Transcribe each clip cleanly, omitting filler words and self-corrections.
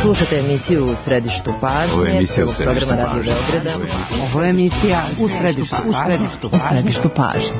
Slušate emisiju U središtu pažnje. Ovo je emisija U središtu pažnje. Ovo je emisija U središtu pažnje.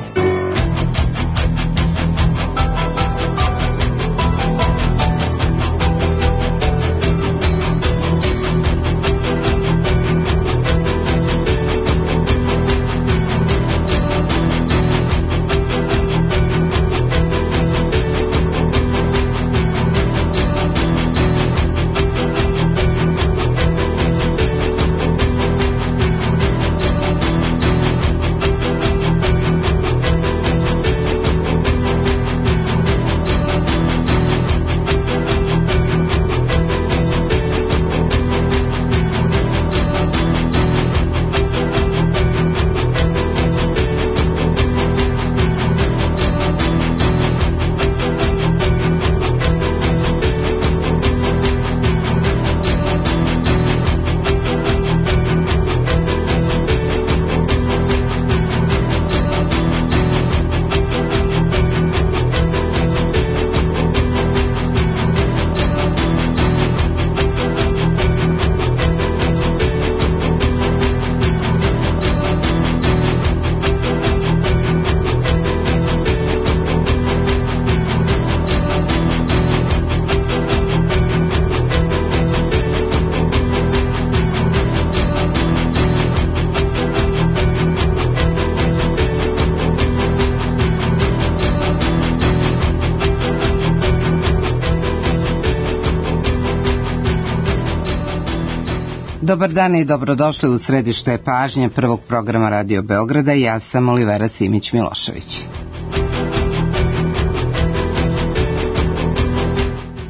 Dobar dan i dobrodošli u središte pažnje prvog programa Radio Beograda. Ja sam Olivera Simić-Milošević.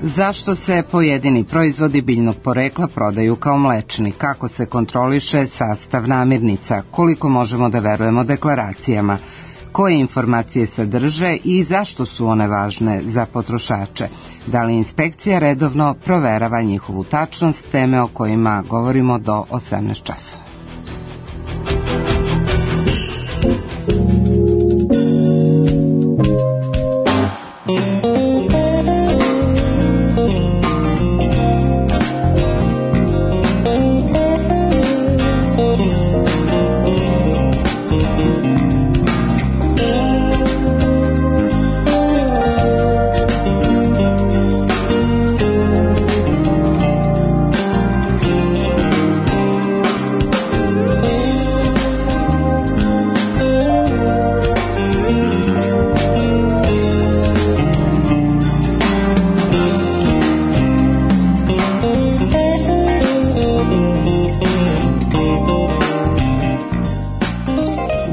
Zašto se pojedini proizvodi biljnog porekla prodaju kao mlečni? Kako se kontroliše sastav namirnica? Koliko možemo da verujemo deklaracijama? Koje informacije sadrže i zašto su one važne za potrošače? Da li inspekcija redovno proverava njihovu tačnost? Teme o kojima govorimo do 18 časova.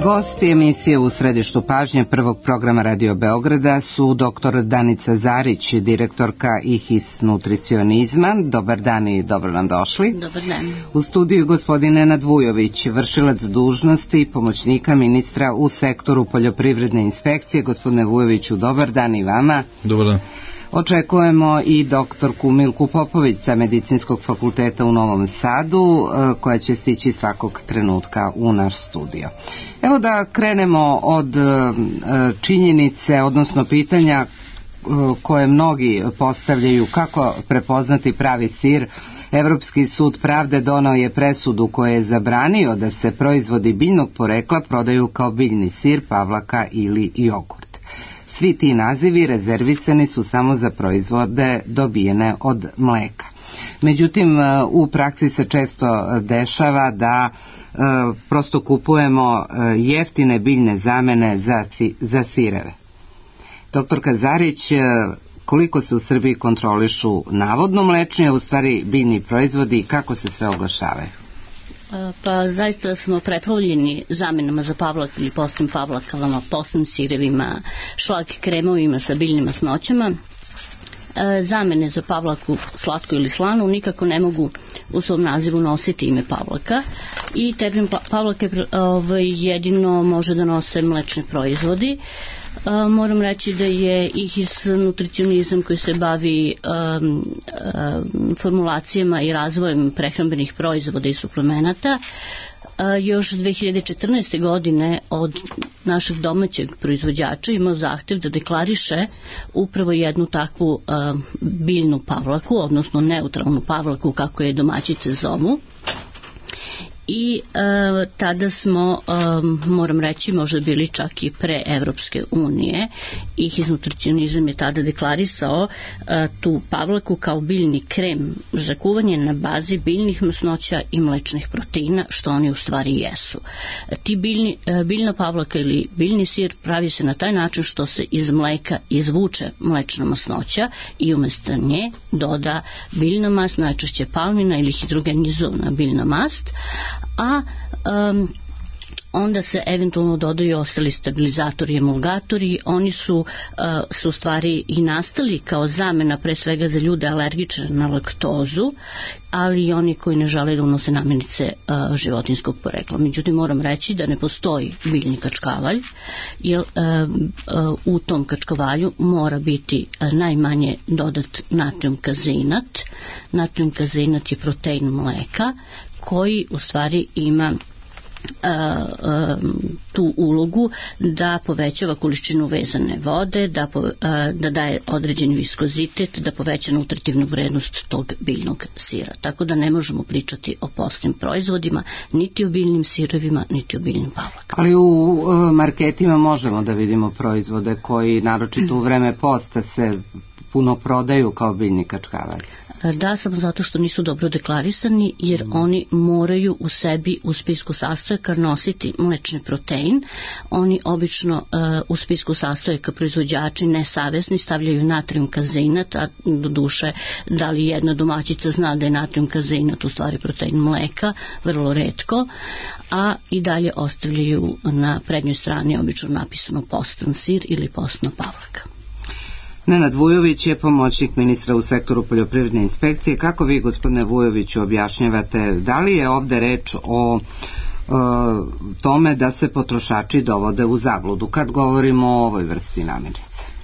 Gosti emisije U središtu pažnje prvog programa Radio Beograda su dr. Danica Zarić, direktorka IHIS nutricionizma. Dobar dan i dobro nam došli. Dobar dan. U studiju gospodin Nenad Vujović, vršilac dužnosti pomoćnika ministra u sektoru poljoprivredne inspekcije. Gospodine Vujoviću, dobar dan i vama. Dobar dan. Očekujemo i doktorku Milku Popović sa Medicinskog fakulteta u Novom Sadu, koja će stići svakog trenutka u naš studio. Evo da krenemo od činjenice, odnosno pitanja koje mnogi postavljaju: kako prepoznati pravi sir. Evropski sud pravde donao je presudu koja je zabranio da se proizvodi biljnog porekla prodaju kao biljni sir, pavlaka ili jogurt. Svi ti nazivi rezervisani su samo za proizvode dobijene od mleka. Međutim, u praksi se često dešava da prosto kupujemo jeftine biljne zamene za sireve. Doktorka Zarić, koliko se u Srbiji kontrolišu navodno mlečni, a u stvari biljni proizvodi i kako se sve oglašavaju? Pa zaista smo preplavljeni zamenama za pavlak ili postnim pavlakama, postnim sirevima, šlag kremovima sa biljnim masnoćama. Zamene za pavlaku, slatku ili slanu, nikako ne mogu u svom nazivu nositi ime pavlaka i termin pavlake jedino može da nose mlečni proizvodi. Moram reći da je IHIS nutricionizam koji se bavi formulacijama i razvojem prehrambenih proizvoda i suplemenata još 2014. godine od našeg domaćeg proizvođača imao zahtev da deklariše upravo jednu takvu biljnu pavlaku, odnosno neutralnu pavlaku kako je domaćice zovu. I tada smo, moram reći, možda bili čak i pre Evropske unije. IHIS nutricionizam je tada deklarisao tu pavlaku kao biljni krem za kuvanje na bazi biljnih masnoća i mlečnih proteina, što oni u stvari jesu. Biljna pavlaka ili biljni sir pravi se na taj način što se iz mleka izvuče mlečna masnoća i umjesto nje doda biljna mast, najčešće palmina ili hidrogenizovana biljna mast, a onda se eventualno dodaju ostali stabilizatori i emulgatori. Oni su u stvari i nastali kao zamena pre svega za ljude alergične na laktozu, ali i oni koji ne žele da unose namirnice životinjskog porekla. Međutim, moram reći da ne postoji biljni kačkavalj, jer u tom kačkavalju mora biti najmanje dodat natrium kazinat. Natrium kazinat je protein mleka koji u stvari ima tu ulogu da povećava količinu vezane vode, da daje određeni viskozitet, da poveća nutritivnu vrednost tog biljnog sira. Tako da ne možemo pričati o postnim proizvodima, niti o biljnim sirovima, niti o biljnim pavlakama. Ali u marketima možemo da vidimo proizvode koji naročito u vreme posta se puno prodaju kao biljni kačkavalj. Da, samo zato što nisu dobro deklarisani, jer oni moraju u sebi u spisku sastojaka nositi mlečni protein. Oni obično u spisku sastojaka proizvođači nesavesni stavljaju natrium kazinat, a do duše da li jedna domaćica zna da je natrium kazinat u stvari protein mleka, vrlo retko, a i dalje ostavljaju na prednjoj strani obično napisano postan sir ili postna pavlaka. Nenad Vujović je pomoćnik ministra u sektoru poljoprivredne inspekcije. Kako vi, gospodine Vujoviću, objašnjavate, da li je ovde reč o tome da se potrošači dovode u zabludu kad govorimo o ovoj vrsti namirnice?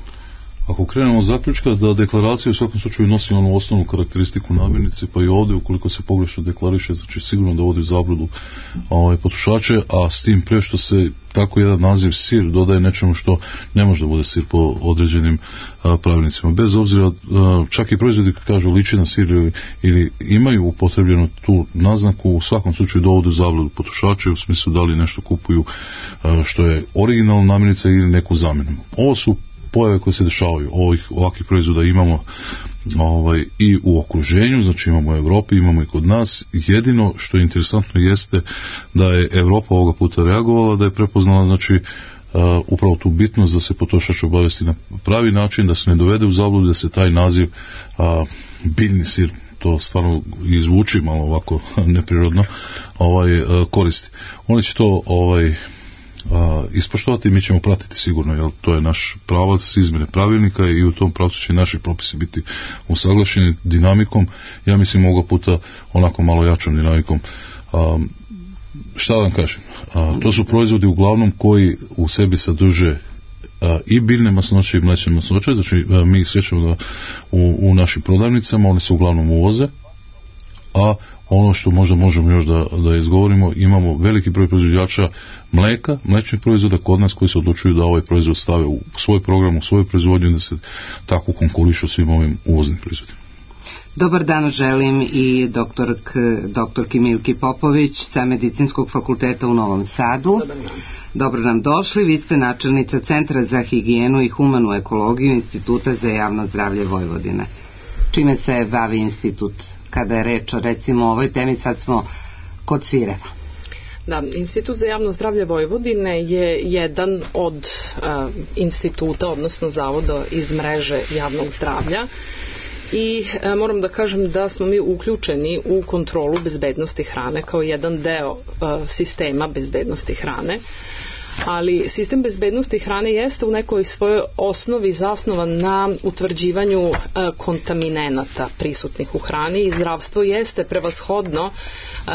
Ako krenemo od zaključka da deklaracija u svakom slučaju nosi onu osnovnu karakteristiku namirnice, pa i ovdje ukoliko se pogrešno deklariše, znači sigurno dovodi u zabludu potrošače, a s tim pre što se tako jedan naziv sir dodaje nečemu što ne može da bude sir po određenim pravilnicima. Bez obzira, čak i proizvodi koji kažu liči na sir ili imaju upotrebljenu tu naznaku, u svakom slučaju dovodi u zabludu potrošače u smislu da li nešto kupuju što je originalna namirnica ili neku zamjenu. Ovo su pojave koje se dešavaju. Ovakvih proizvoda imamo i u okruženju, znači imamo u Evropi, imamo i kod nas. Jedino što je interesantno jeste da je Evropa ovoga puta reagovala, da je prepoznala znači upravo tu bitnost da se potrošač obavesti na pravi način, da se ne dovede u zabludu, da se taj naziv biljni sir, to stvarno izvuči malo ovako neprirodno, koristi. Oni će to ispoštovati, mi ćemo pratiti sigurno, jer to je naš pravac izmjene pravilnika i u tom pravcu će naši propisi biti usaglašeni dinamikom, ja mislim ovoga puta onako malo jačom dinamikom. Šta da vam kažem, to su proizvodi uglavnom koji u sebi sadrže i biljne masnoće i mlečne masnoće, znači mi ih srećemo da u našim prodavnicama, one se uglavnom uvoze, a ono što možda možemo još da izgovorimo, imamo veliki broj proizvođača mleka, mlečnih proizvoda kod nas koji se odlučuju da ovaj proizvod stave u svoj program, u svoju proizvodnju, da se tako konkurišu svim ovim uvoznim proizvodima. Dobar dan želim i doktorki Milki Popović sa Medicinskog fakulteta u Novom Sadu. Dobro nam došli, vi ste načelnica Centra za higijenu i humanu ekologiju Instituta za javno zdravlje Vojvodine. Čime se bavi institut kada je reč o recimo ovoj temi, sad smo kod sireva? Da, Institut za javno zdravlje Vojvodine je jedan od instituta, odnosno zavoda iz mreže javnog zdravlja i moram da kažem da smo mi uključeni u kontrolu bezbednosti hrane kao jedan deo sistema bezbednosti hrane. ali sistem bezbednosti hrane jeste u nekoj svojoj osnovi zasnovan na utvrđivanju kontaminenata prisutnih u hrani i zdravstvo jeste prevashodno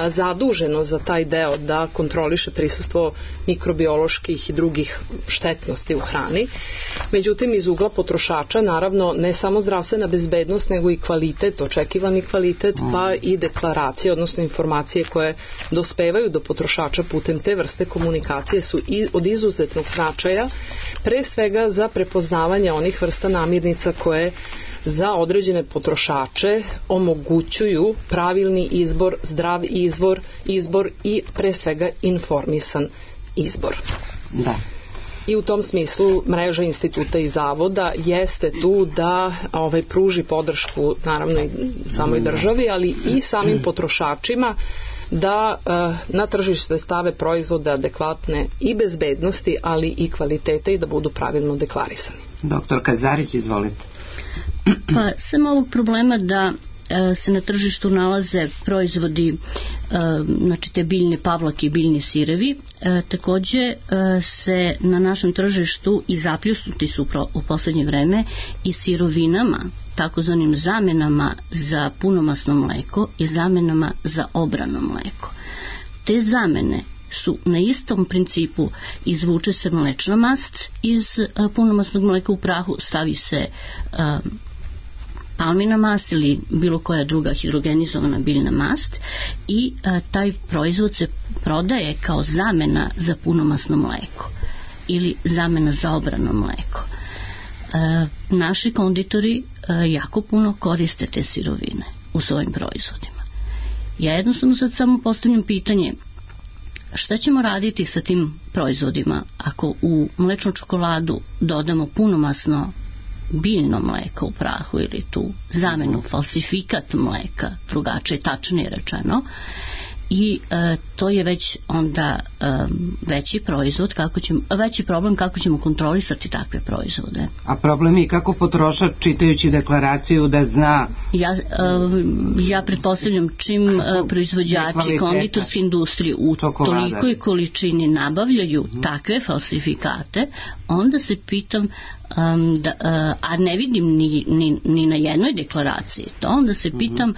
zaduženo za taj deo da kontroliše prisustvo mikrobioloških i drugih štetnosti u hrani. Međutim, iz ugla potrošača, naravno, ne samo zdravstvena bezbednost, nego i kvalitet, očekivani kvalitet, pa i deklaracije, odnosno informacije koje dospevaju do potrošača putem te vrste komunikacije su od izuzetnog značaja, pre svega za prepoznavanje onih vrsta namirnica koje za određene potrošače omogućuju pravilni izbor, zdrav izbor i pre svega informisan izbor. Da. I u tom smislu mreža instituta i zavoda jeste tu da pruži podršku naravno i samoj državi, ali i samim potrošačima da na tržište stave proizvode adekvatne i bezbednosti, ali i kvalitete i da budu pravilno deklarisani. Doktor Kazarić, izvolite. Pa sem ovog problema da se na tržištu nalaze proizvodi, znači te biljne pavlake i biljni sirevi, takođe se na našem tržištu i zapljusnuti su u poslednje vreme i sirovinama, takozvanim zamenama za punomasno mleko i zamenama za obrano mleko. Te zamene su na istom principu: izvuče se mlečna mast iz punomasnog mleka u prahu, stavi se palmina mast ili bilo koja druga hidrogenizovana biljna mast i taj proizvod se prodaje kao zamena za punomasno mleko ili zamena za obrano mleko. Naši konditori jako puno koriste te sirovine u svojim proizvodima. Ja jednostavno sad samo postavljam pitanje: šta ćemo raditi sa tim proizvodima ako u mlečnu čokoladu dodamo punomasno biljno mleko u prahu ili tu zamenu, falsifikat mleka, drugačije, tačnije rečeno, i to je već onda veći problem kako ćemo kontrolisati takve proizvode. A problem je kako potrošač, čitajući deklaraciju, da zna... Ja pretpostavljam čim proizvođači konditorske industrije u tolikoj količini nabavljaju takve falsifikate, onda se pitam, a ne vidim ni na jednoj deklaraciji to, onda se pitam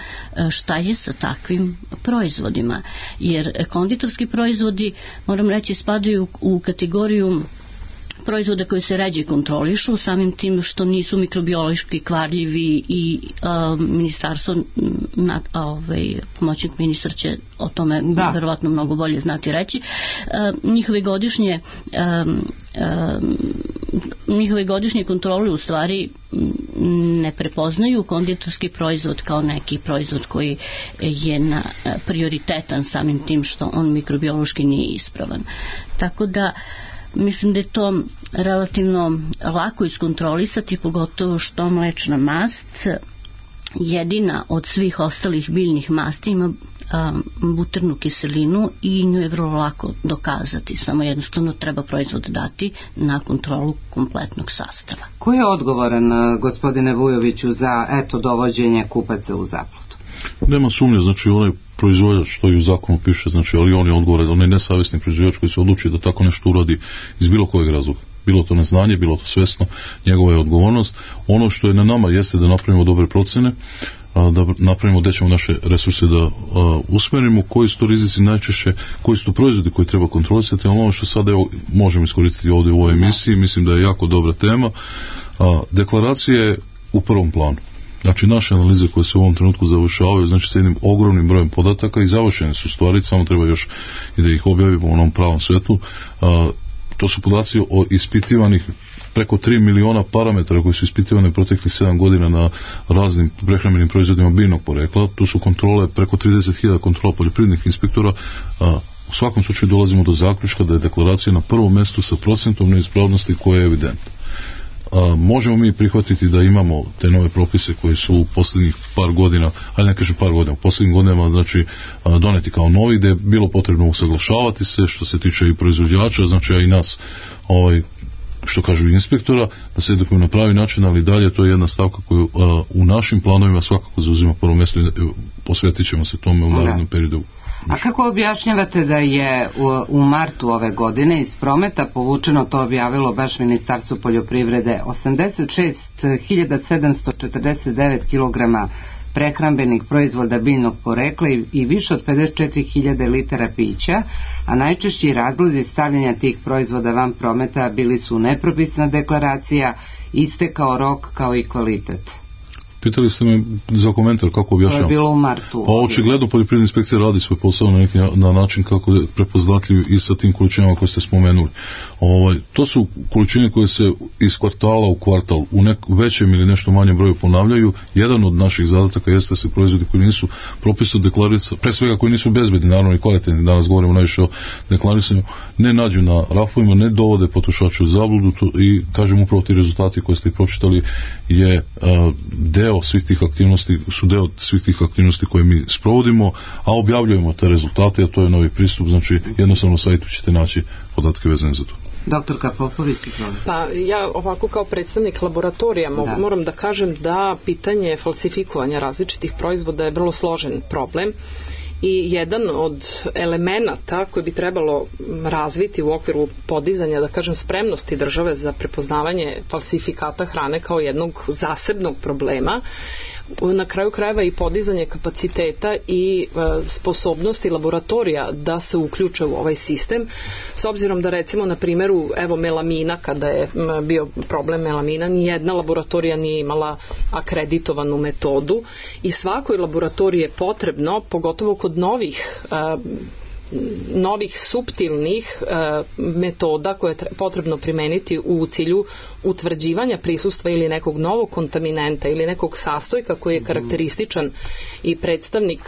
šta je sa takvim proizvodima, jer konditorski proizvodi, moram reći, spadaju u kategoriju proizvoda koji se ređe kontrolišu, samim tim što nisu mikrobiološki kvarljivi i ministarstvo, pomoćnik ministar će o tome verovatno mnogo bolje znati reći. Njihove godišnje kontrole u stvari ne prepoznaju konditorski proizvod kao neki proizvod koji je prioritetan samim tim što on mikrobiološki nije ispravan. Tako da mislim da je to relativno lako iskontrolisati, pogotovo što mlečna mast jedina od svih ostalih biljnih masti ima buternu kiselinu i nju je vrlo lako dokazati, samo jednostavno treba proizvod dati na kontrolu kompletnog sastava. Ko je odgovoran, gospodine Vujoviću, za dovođenje kupaca u zabludu? Nema sumnje, znači onaj proizvođač, što i u zakonu piše, znači, ali on je odgovoran, onaj nesavjesni proizvođač koji se odluči da tako nešto uradi iz bilo kojeg razloga. Bilo to neznanje, bilo to svesno, njegova je odgovornost. Ono što je na nama jeste da napravimo dobre procene, da napravimo gde ćemo naše resurse da usmerimo, koji su to rizici najčešće, koji su to proizvodi koji treba kontrolisati, ali ono što sada možemo iskoristiti ovdje u ovoj emisiji, mislim da je jako dobra tema. Deklaracija je u prvom planu. Znači naše analize koje se u ovom trenutku završavaju, znači sa jednim ogromnim brojem podataka i završene su stvari, samo treba još i da ih objavimo u onom pravom svetu. To su podaci o ispitivanih preko 3 miliona parametara koji su ispitivani proteklih 7 godina na raznim prehrambenim proizvodima biljnog porekla. Tu su kontrole, preko 30.000 kontrola poljoprivrednih inspektora. U svakom slučaju dolazimo do zaključka da je deklaracija na prvom mestu sa procentom neispravnosti koja je evidentna. Možemo mi prihvatiti da imamo te nove propise koji su u posljednjih par godina, ali ne kažem par godina, u posljednjim godinama, znači doneti kao novi, gde je bilo potrebno usaglašavati se što se tiče i proizvođača, znači a i nas, što kažu inspektora, da se edukujemo na pravi način, ali dalje to je jedna stavka koju u našim planovima svakako zauzima prvo mjesto i posvetit ćemo se tome u narednom periodu. A kako objašnjavate da je u martu ove godine iz prometa povučeno, to objavilo baš Ministarstvo poljoprivrede, 86.749 kg prehrambenih proizvoda biljnog porekla i više od 54.000 litara pića, a najčešći razlozi stavljanja tih proizvoda van prometa bili su nepropisna deklaracija, istekao rok kao i kvalitet. Pitali ste me za komentar kako objašnjavam. To je bilo u martu. Pa očigledno poljoprivredna inspekcija radi svoj posao na način kako je prepoznatljiv i sa tim količinama koje ste spomenuli. To su količine koje se iz kvartala u kvartal u većem ili nešto manjem broju ponavljaju. Jedan od naših zadataka jeste da se proizvodi koji nisu propisno deklarirani, pre svega koji nisu bezbedni, naravno i kvalitetni, danas govorimo najviše o deklarisanju, ne nađu na rafovima, ne dovode potrošače u zabludu i kažem upravo ti rezultati koje ste pročitali je deo svih tih aktivnosti koje mi sprovodimo, a objavljujemo te rezultate, a to je novi pristup, znači jednostavno na sajtu ćete naći podatke vezane za to. Doktorka Popović, izvolite. Pa ja ovako kao predstavnik laboratorija moram da kažem da pitanje falsifikovanja različitih proizvoda je vrlo složen problem i jedan od elemenata koji bi trebalo razviti u okviru podizanja, da kažem, spremnosti države za prepoznavanje falsifikata hrane kao jednog zasebnog problema, na kraju krajeva i podizanje kapaciteta i sposobnosti laboratorija da se uključe u ovaj sistem, s obzirom da recimo na primjeru melamina, kada je bio problem melamina, nijedna laboratorija nije imala akreditovanu metodu i svakoj laboratoriji je potrebno, pogotovo kod novih suptilnih metoda koje je potrebno primeniti u cilju utvrđivanja prisustva ili nekog novog kontaminenta ili nekog sastojka koji je karakterističan i predstavnik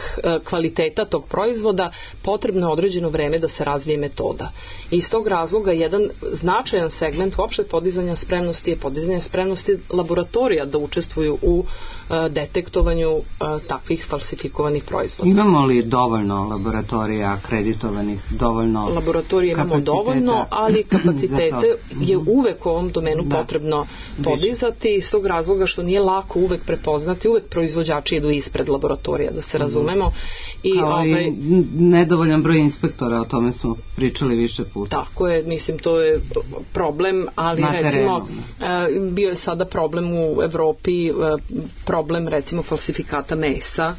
kvaliteta tog proizvoda, potrebno je određeno vreme da se razvije metoda. I iz tog razloga jedan značajan segment uopšte podizanja spremnosti je podizanje spremnosti laboratorija da učestvuju u detektovanju takvih falsifikovanih proizvoda. Imamo li dovoljno laboratorija akreditovanih, dovoljno laboratorije imamo dovoljno, ali kapacitete je uvek u ovom domenu potrebno podizati iz tog razloga što nije lako uvek prepoznati, uvek proizvođači idu ispred laboratorija, da se razumemo. I nedovoljan broj inspektora, o tome smo pričali više puta. Tako je, mislim, to je problem, ali recimo bio je sada problem u Evropi, problem recimo falsifikata mesa,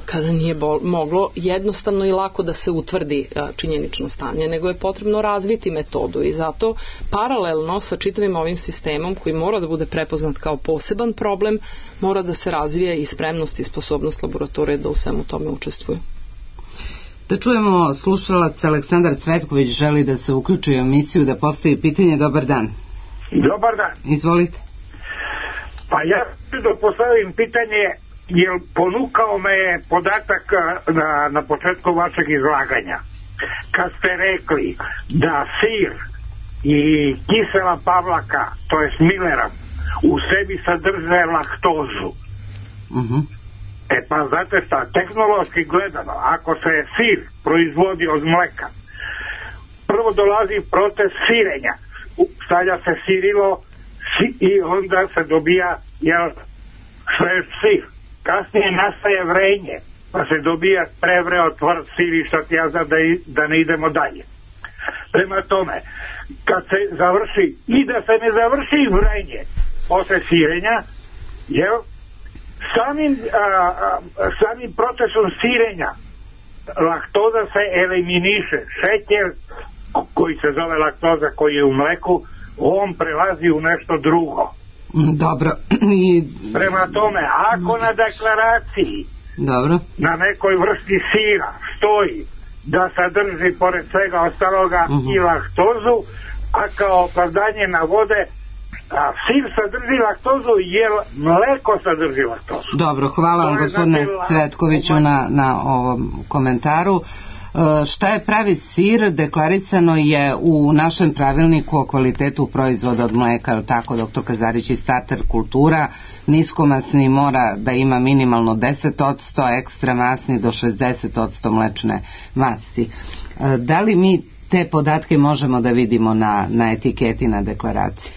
kada nije moglo jednostavno i lako da se utvrdi činjenično stanje, nego je potrebno razviti metodu i zato paralelno sa čitavim ovim sistemom koji mora da bude prepoznat kao poseban problem, mora da se razvije i spremnost i sposobnost laboratorije da u svemu tome učestvuju. Da čujemo, slušalac Aleksandar Cvetković želi da se uključi u emisiju, da postavi pitanje. Dobar dan. Dobar dan. Izvolite. Pa ja da postavim pitanje, jer ponukao me je podatak na početku vašeg izlaganja. Kad ste rekli da sir i kisela pavlaka, to je Millera, u sebi sadrže laktozu. Pa znate šta, tehnološki gledano, ako se sir proizvodi od mleka, prvo dolazi proces sirenja, stavlja se sirilo i onda se dobija svež sir. Kasnije nastaje vrenje, pa se dobija prevreo tvrd sir i šta ti ja znam da ne idemo dalje. Prema tome, kad se završi i da se ne završi vrenje posle sirenja, samim procesom sirenja laktoza se eliminiše. Šećer koji se zove laktoza, koji je u mleku, on prelazi u nešto drugo. Dobro. Prema tome, ako na deklaraciji na nekoj vrsti sira stoji da sadrži pored svega ostaloga i laktozu, a kao opravdanje navode sir sadrži laktozu jer mleko sadrži laktozu. Dobro, hvala vam gospodine Cvetkoviću na ovom komentaru. Šta je pravi sir? Deklarisano je u našem pravilniku o kvalitetu proizvoda od mleka, tako doktor Kazarić, i starter kultura. Niskomasni mora da ima minimalno 10%, ekstra masni do 60% mlečne masti. Da li mi te podatke možemo da vidimo na etiketi, na deklaraciji?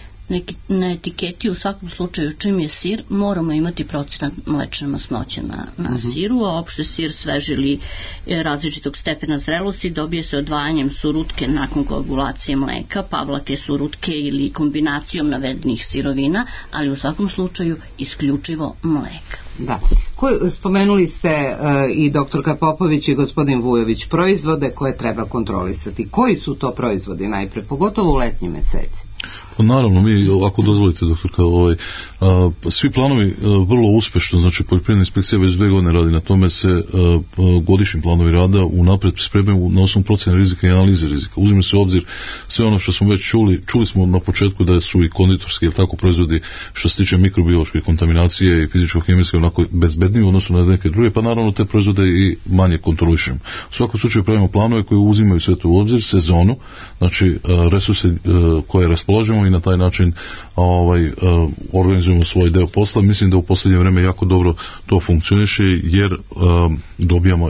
na etiketi u svakom slučaju čim je sir moramo imati procenat mlečne masnoće na siru, a opšte sir sveži ili različitog stepena zrelosti dobije se odvajanjem surutke nakon koagulacije mleka, pavlake, surutke ili kombinacijom navedenih sirovina, ali u svakom slučaju isključivo mleka. Da. Spomenuli ste i doktorka Popović i gospodin Vujović proizvode koje treba kontrolisati. Koji su to proizvodi najpre, pogotovo u letnjim meseci? Pa naravno, mi, ako dozvolite, doktorka, svi planovi vrlo uspešno, znači poljoprivredna inspekcija već 2 godine radi na tome, se godišnji planovi rada unapred spremaju na osnovu procjene rizika i analize rizika. Uzime se u obzir sve ono što smo već čuli smo na početku da su i konditorski, ili tako, proizvodi što se tiče mikrobiološke kontaminacije i fizičko-hemijske onako bezbedniji u odnosu na neke druge, pa naravno te proizvode i manje kontrolišemo. U svakom slučaju pravimo planove koji uzimaju sve to u obzir, sezonu, znači resurse koje raspolažemo i na taj način organizujemo svoj deo posla. Mislim da u posljednje vreme jako dobro to funkcioniše, jer dobijamo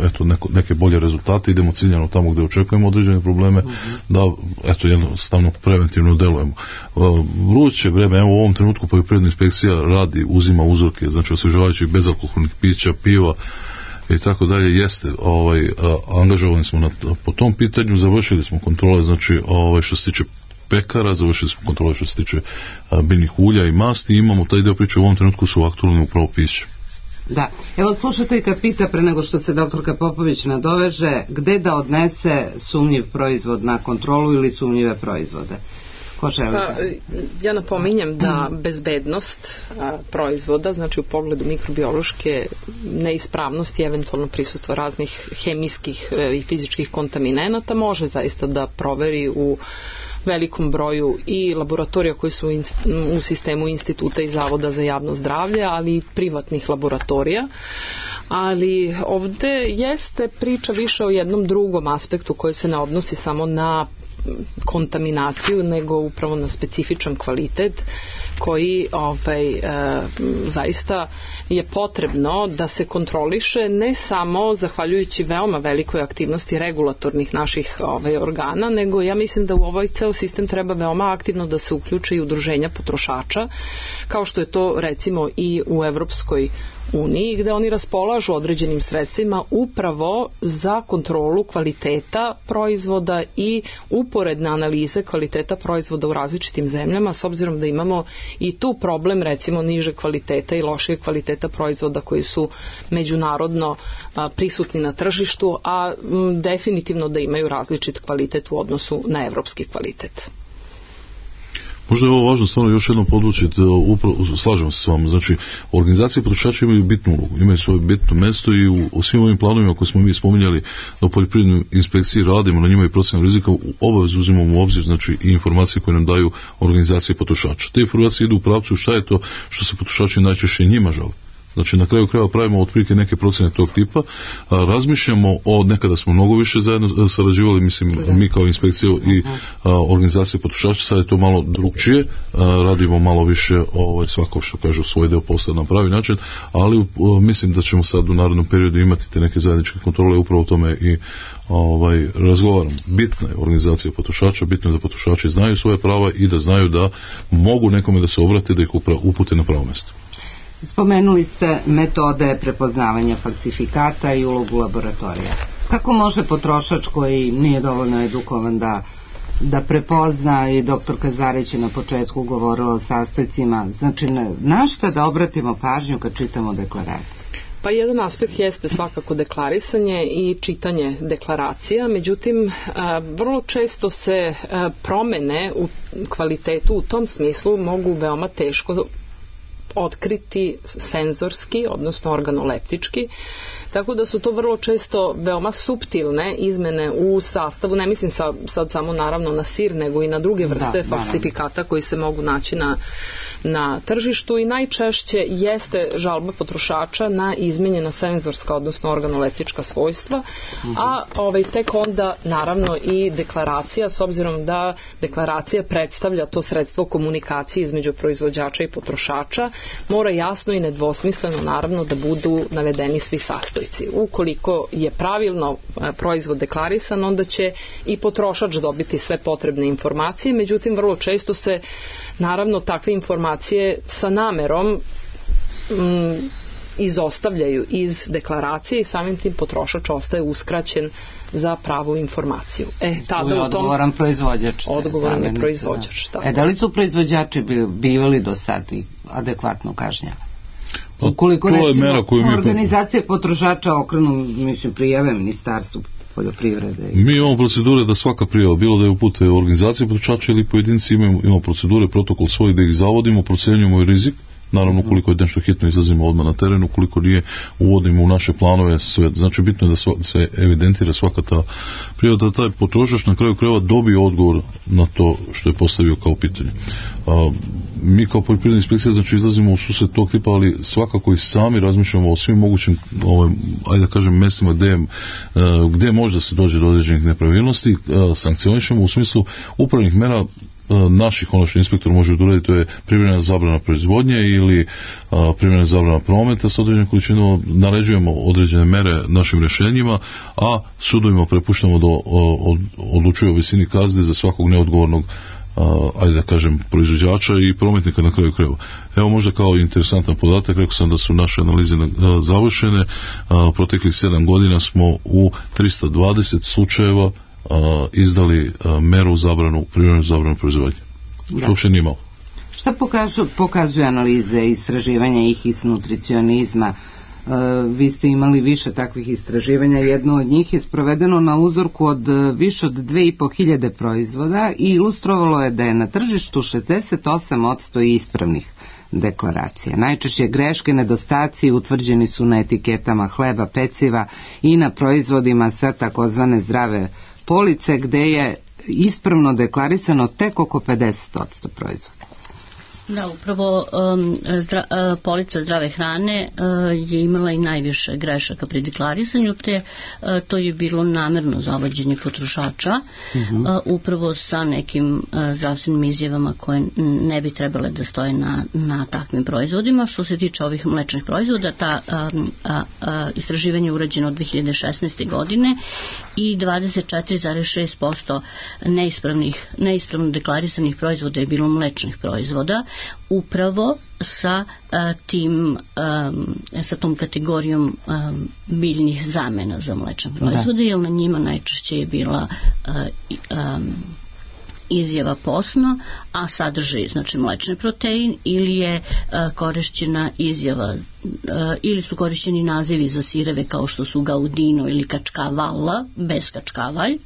neke bolje rezultate, idemo ciljano tamo gdje očekujemo određene probleme, da jednostavno preventivno delujemo. Vruće vreme, evo u ovom trenutku poljoprivredna inspekcija radi, uzima uzorke, znači osvežavajućih bezalkoholnih pića, piva i tako dalje, jeste, angažovani smo po tom pitanju, završili smo kontrole, znači što se tiče pekara, završili smo kontrole što se tiče biljnih ulja i masti, i imamo taj deo priče u ovom trenutku su aktualni upravo piće. Da, evo slušateljka pita pre nego što se doktorka Popović nadoveže, gde da odnese sumnjiv proizvod na kontrolu ili sumnjive proizvode? Ja napominjem da bezbednost proizvoda, znači u pogledu mikrobiološke neispravnosti, eventualno prisustva raznih hemijskih i fizičkih kontaminenata, može zaista da proveri u velikom broju i laboratorija koji su u sistemu instituta i Zavoda za javno zdravlje, ali i privatnih laboratorija. Ali ovde jeste priča više o jednom drugom aspektu koji se ne odnosi samo na kontaminaciju, nego upravo na specifičan kvalitet koji zaista je potrebno da se kontroliše, ne samo zahvaljujući veoma velikoj aktivnosti regulatornih naših organa, nego ja mislim da u ovaj ceo sistem treba veoma aktivno da se uključe i udruženja potrošača, kao što je to recimo i u Evropskoj uniji, gde oni raspolažu određenim sredstvima upravo za kontrolu kvaliteta proizvoda i uporedne analize kvaliteta proizvoda u različitim zemljama, s obzirom da imamo i tu problem recimo niže kvaliteta i lošije kvaliteta proizvoda koji su međunarodno prisutni na tržištu, a definitivno da imaju različit kvalitet u odnosu na evropski kvalitet. Možda je ovo važno stvarno još jednom podvučiti, slažemo se s vama, znači organizacije potrošača imaju bitnu ulogu, imaju svoje bitno mesto i u svim ovim planovima koje smo mi spominjali da u poljoprivrednoj inspekciji radimo na njima i procjenu rizika, obavezno uzimamo u obzir, znači i informacije koje nam daju organizacije potrošača. Te informacije idu u pravcu šta je to što se potrošači najčešće njima žele. Znači na kraju krajeva pravimo otprilike neke procjene tog tipa, razmišljamo nekada smo mnogo više zajedno sarađivali, mislim mi kao inspekcija i organizacije potrošača, sad je to malo drugčije, radimo malo više svako što kažu svoj deo posla na pravi način, ali mislim da ćemo sad u narednom periodu imati te neke zajedničke kontrole, upravo o tome i razgovaram. Bitna je organizacija potrošača, bitno je da potrošači znaju svoje prava i da znaju da mogu nekome da se obrate, da ih upute na pravo mesto. Spomenuli ste metode prepoznavanja falsifikata i ulogu laboratorija. Kako može potrošač koji nije dovoljno edukovan da prepozna, i doktorka Zarić je na početku govorila o sastojcima, znači na šta da obratimo pažnju kad čitamo deklaraciju? Pa jedan aspekt jeste svakako deklarisanje i čitanje deklaracija, međutim vrlo često se promene u kvalitetu u tom smislu mogu veoma teško otkriti senzorski, odnosno organoleptički, tako da su to vrlo često veoma suptilne izmene u sastavu, ne mislim sad samo naravno na sir, nego i na druge vrste falsifikata koji se mogu naći na tržištu, i najčešće jeste žalba potrošača na izmenjena senzorska, odnosno organoleptička svojstva, a tek onda naravno i deklaracija, s obzirom da deklaracija predstavlja to sredstvo komunikacije između proizvođača i potrošača, mora jasno i nedvosmisleno naravno da budu navedeni svi sastojci. Ukoliko je pravilno proizvod deklarisan, onda će i potrošač dobiti sve potrebne informacije, međutim vrlo često se naravno takve informacije sa namerom izostavljaju iz deklaracije i samim tim potrošač ostaje uskraćen za pravu informaciju. Tu je odgovoran proizvođač. Odgovoran je proizvođač. Da li su proizvođači bivali do sad adekvatno kažnjavani? Ukoliko recimo organizacije potrošača okrenu, prijave Ministarstvu poljoprivrede. Mi imamo procedure da svaka prijava, bilo da je upute organizacije potrošača ili pojedinci, imamo procedure, protokol svoj da ih zavodimo, procenjujemo i rizik. Naravno, koliko je nešto hitno, izlazimo odmah na terenu, koliko nije, uvodimo u naše planove sve. Znači, bitno je da se evidentira svaka ta prijava, da taj potrošač na kraju krajeva dobije odgovor na to što je postavio kao pitanje. Mi kao poljoprivredna inspekcija, znači, izlazimo u susret tog tipa, ali svakako i sami razmišljamo o svim mogućim, ajde da kažem, mestima gde možda se dođe do određenih nepravilnosti, sankcionišemo u smislu upravnih mera naših, ono što inspektor može uraditi, to je privremena zabrana proizvodnje ili privremena zabrana prometa sa određenom količinom, naređujemo određene mere našim rješenjima, a sudovima prepuštamo da odlučuju o visini kazne za svakog neodgovornog, ajde da kažem, proizvođača i prometnika na kraju krajeva. Evo možda kao interesantan podatak, rekao sam da su naše analize završene, proteklih 7 godina smo u 320 slučajeva izdali meru privremenu zabranu proizvodnje. Što uopće nije malo. Šta pokazuju analize istraživanja i HIS nutricionizma? Vi ste imali više takvih istraživanja. Jedno od njih je sprovedeno na uzorku od više od 2500 proizvoda i ilustrovalo je da je na tržištu 68% ispravnih deklaracija. Najčešće greške, nedostaci utvrđeni su na etiketama hleba, peciva i na proizvodima sa takozvane zdrave police, gde je ispravno deklarisano tek oko 50% proizvoda. Da, upravo polica zdrave hrane je imala i najviše grešaka pri deklarisanju, te to je bilo namerno zavođenje potrošača, upravo sa nekim zdravstvenim izjavama koje ne bi trebale da stoje na takvim proizvodima. Što se tiče ovih mlečnih proizvoda, ta istraživanje je urađeno od 2016. godine i 24,6% neispravno deklarisanih proizvoda je bilo mlečnih proizvoda, upravo sa tom kategorijom biljnih zamena za mlečne proizvode, jer na njima najčešće je bila izjava posno, a sadrži znači mlečni protein, ili je korišćena izjava ili su korišćeni nazivi za sireve kao što su gaudino ili kačkavalla bez kačkavalj,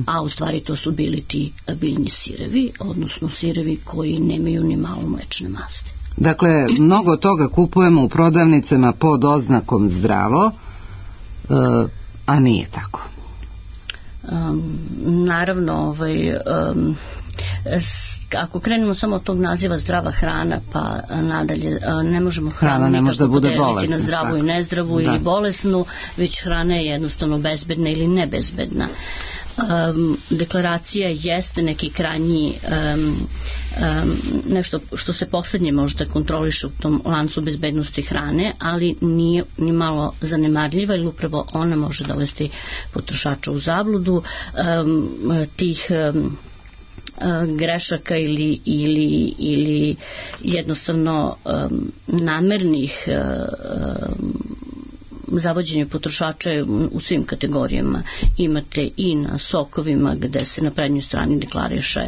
a u stvari to su bili ti biljni sirevi, odnosno sirevi koji nemaju ni malo mlečne masti. Dakle, mnogo toga kupujemo u prodavnicama pod oznakom zdravo, a nije tako. Naravno, ako krenemo samo od tog naziva zdrava hrana, pa nadalje ne možemo hranu nikako podeliti na zdravu i nezdravu ili bolesnu, već hrana je jednostavno bezbedna ili nebezbedna. Deklaracija jeste neki krajnji nešto što se poslednje možda kontroliše u tom lancu bezbednosti hrane, ali nije ni malo zanemarljiva, jer upravo ona može dovesti potrošača u zabludu. Tih grešaka ili jednostavno namernih zavođenje potrošača u svim kategorijama imate i na sokovima, gde se na prednjoj strani deklariše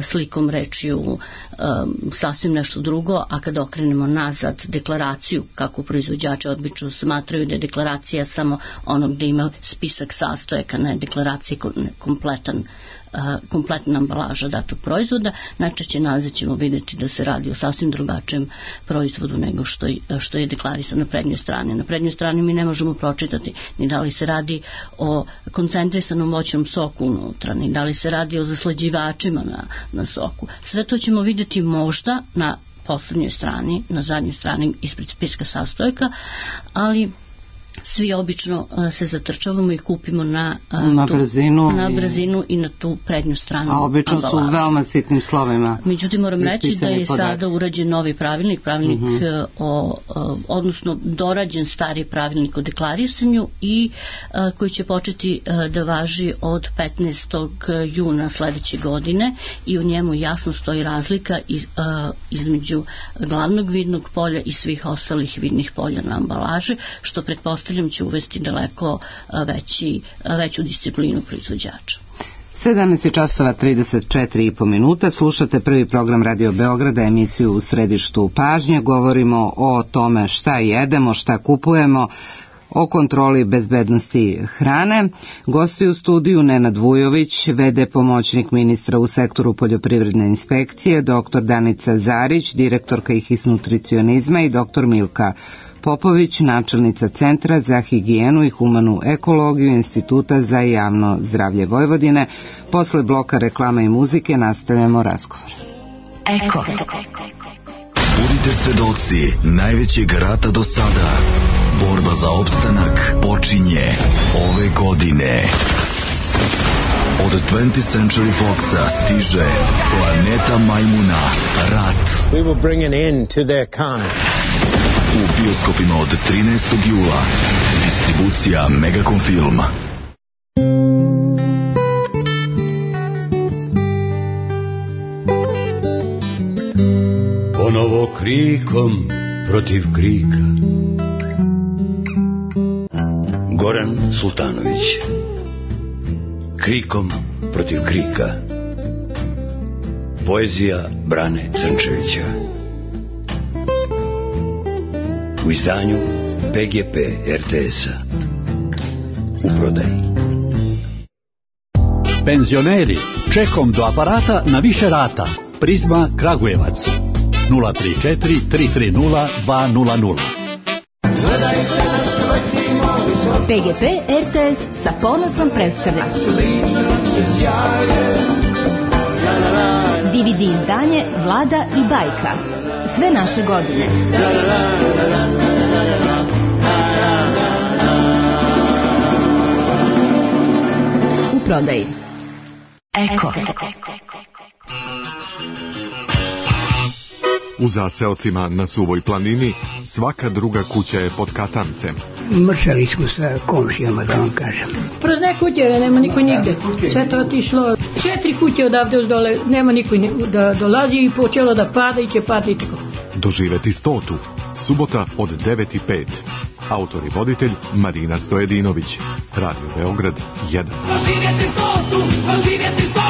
slikom, rečju sasvim nešto drugo, a kada okrenemo nazad deklaraciju, kako proizvođači obično smatraju da je deklaracija samo ono gde ima spisak sastojaka, ne deklaracija kompletna ambalaža datog proizvoda, najčešće nazad ćemo vidjeti da se radi o sasvim drugačijem proizvodu nego što je deklarisan na prednjoj strani. Na prednjoj strani mi ne možemo pročitati ni da li se radi o koncentrisanom voćnom soku unutra, ni da li se radi o zaslađivačima na soku. Sve to ćemo vidjeti možda na poslednjoj strani, na zadnjoj strani ispred spiska sastojaka, ali svi obično se zatrčavamo i kupimo na brzinu i na tu prednju stranu ambalaže. A obično su veoma sitnim slovima. Međutim, moram reći da je sada urađen novi pravilnik odnosno dorađen stari pravilnik o deklarisanju i koji će početi da važi od 15. juna sledeće godine i u njemu jasno stoji razlika između glavnog vidnog polja i svih ostalih vidnih polja na ambalaži, što pretpostavljam će uvesti daleko veću disciplinu proizvođača. 17:34 slušate prvi program Radio Beograda, emisiju U središtu pažnje. Govorimo o tome šta jedemo, šta kupujemo, o kontroli bezbednosti hrane. Gosti u studiju Nenad Vujović, v.d. pomoćnik ministra u sektoru poljoprivredne inspekcije, dr. Danica Zarić, direktorka IHIS nutricionizma i dr. Milka Popović, načelnica Centra za higijenu i humanu ekologiju Instituta za javno zdravlje Vojvodine. Posle bloka reklama i muzike nastavljamo razgovor. Eko. Budite svedoci najvećeg rata do sada. Borba za opstanak počinje ove godine. Od 20th Century Foxa stiže Planeta majmuna, rat. We will bring an end to their kind. U bioskopima od 13. jula. Distribucija Megacom Filma. Ponovo krikom protiv krika. Goran Sultanović. Krikom protiv krika. Poezija Brane Crnčevića. U izdanju PGP RTS-a. U prodaji. Penzioneri, čekom do aparata na više rata. Prizma Kragujevac 034 330 200. PGP RTS sa ponosom predstavlja DVD izdanje Vlada i bajka. Sve naše godine. U prodaji. Eko. U zaseocima na Suvoj planini svaka druga kuća je pod katancem. Mršali smo sa komšijama, da vam kažem. Prazne kuće, nema niko nigde. Sve to otišlo. 4 kuće odavde uz dole, nema niko da dolazi i počelo da pada i će padati tako. Doživeti 100. Subota od 9:05. Autor i voditelj Marina Stojedinović. Radio Beograd 1. Doživjeti 100, doživjeti 100.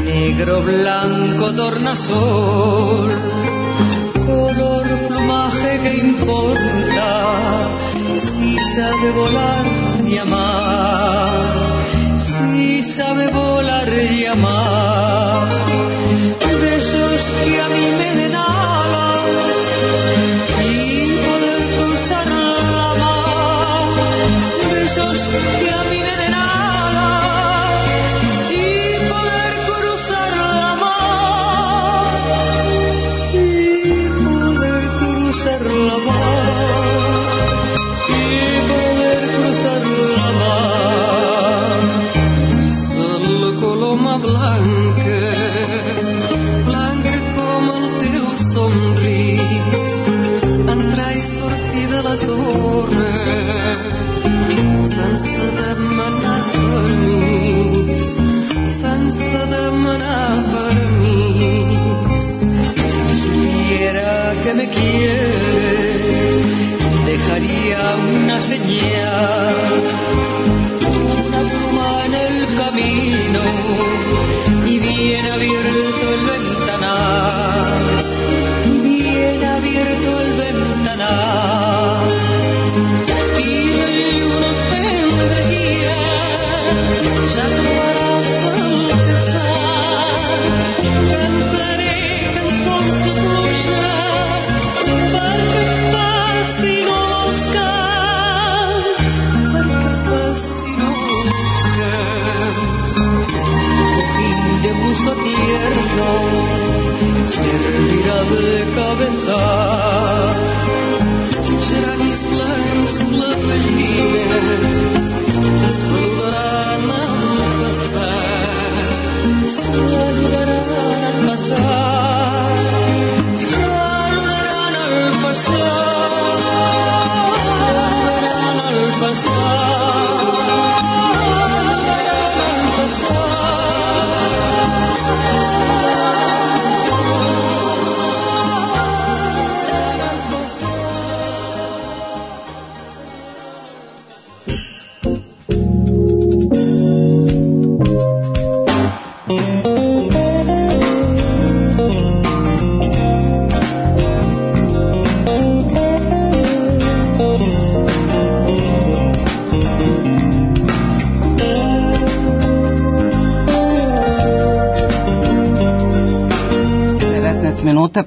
Negro, blanco, tornasol, color, plumaje que importa, si sabe volar y amar, si sabe volar y amar, besos que a mí me den alas y poder cruzar la mar, besos que a mí me den alas. Blanca, blanca como el teu somrís, entrai sortir de la torre, sense demanar permís, sense demanar permís.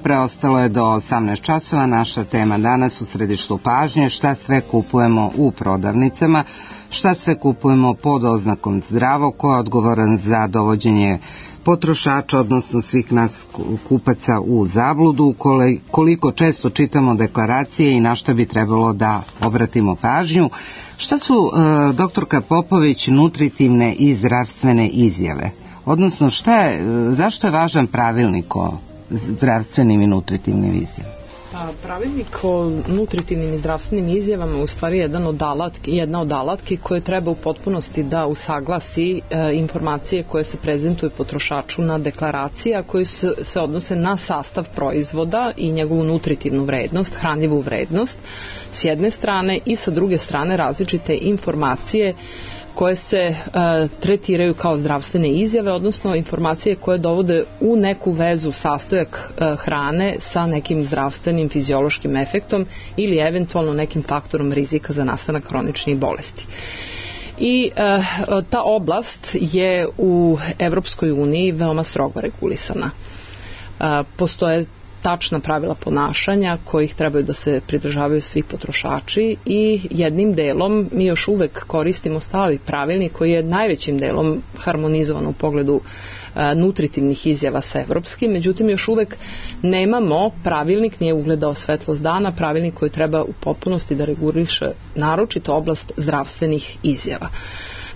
Preostalo je do 18 časova. Naša tema danas u središtu pažnje: šta sve kupujemo u prodavnicama, šta sve kupujemo pod oznakom zdravo, ko je odgovoran za dovođenje potrošača, odnosno svih nas kupaca u zabludu, koliko često čitamo deklaracije i na šta bi trebalo da obratimo pažnju. Šta su, doktorka Popović, nutritivne i zdravstvene izjave? Odnosno, zašto je važan pravilnik o zdravstvenim i nutritivnim izjavama? Pravilnik o nutritivnim i zdravstvenim izjavama je u stvari jedna od alatki koje treba u potpunosti da usaglasi informacije koje se prezentuju potrošaču na deklaraciji, a koje se odnose na sastav proizvoda i njegovu nutritivnu vrednost, hranljivu vrednost s jedne strane, i sa druge strane različite informacije koje se tretiraju kao zdravstvene izjave, odnosno informacije koje dovode u neku vezu sastojak hrane sa nekim zdravstvenim fiziološkim efektom ili eventualno nekim faktorom rizika za nastanak hroničnih bolesti. I ta oblast je u Evropskoj uniji veoma strogo regulisana. Postoje tačna pravila ponašanja kojih trebaju da se pridržavaju svi potrošači i jednim delom mi još uvek koristimo stari pravilnik koji je najvećim delom harmonizovan u pogledu nutritivnih izjava sa evropskim, međutim još uvek nemamo pravilnik, nije ugledao svetlost dana, pravilnik koji treba u potpunosti da reguliše naročito oblast zdravstvenih izjava.